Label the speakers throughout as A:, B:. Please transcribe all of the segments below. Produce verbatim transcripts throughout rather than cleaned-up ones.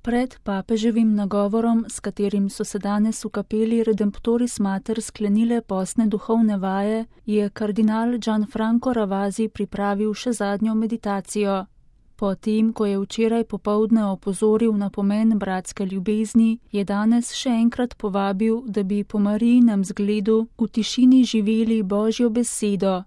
A: Pred papeževim nagovorom, s katerim so se danes v kapeli Redemptoris Mater sklenile postne duhovne vaje, je kardinal Gianfranco Ravasi pripravil še zadnjo meditacijo. Potem, ko je včeraj popoldne opozoril na pomen bratske ljubezni, je danes še enkrat povabil, da bi po Marijinem zgledu v tišini živeli Božjo besedo.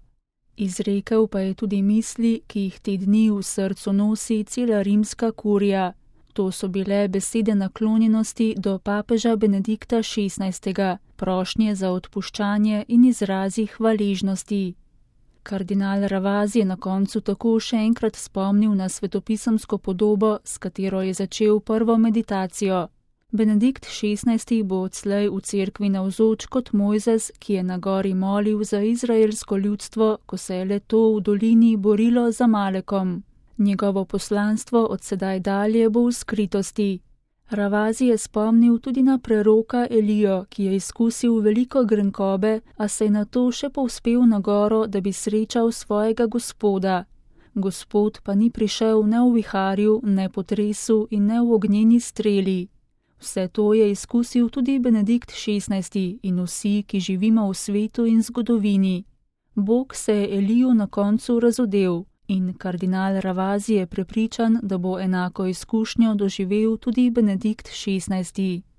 A: Izrekel pa je tudi misli, ki jih te dni v srcu nosi cela rimska kurija. To so bile besede naklonjenosti do papeža Benedikta šestnajstega, prošnje za odpuščanje in izrazi hvaležnosti. Kardinal Ravasi je na koncu tako še enkrat spomnil na svetopisemsko podobo, s katero je začel prvo meditacijo. Benedikt šestnajsti bo odslej v cerkvi navzoč kot Mojzes, ki je na gori molil za izraelsko ljudstvo, ko se je le to v dolini borilo za Malekom. Njegovo poslanstvo od sedaj dalje bo v skritosti. Ravasi je spomnil tudi na preroka Elijo, ki je izkusil veliko grenkobe, a se je nato še povzpel na goro, da bi srečal svojega Gospoda. Gospod pa ni prišel ne v viharju, ne potresu in ne v ognjeni streli. Vse to je izkusil tudi Benedikt šestnajsti in vsi, ki živimo v svetu in zgodovini. Bog se je Eliju na koncu razodel. In kardinal Ravasi je prepričan, da bo enako izkušnjo doživel tudi Benedikt šestnajsti.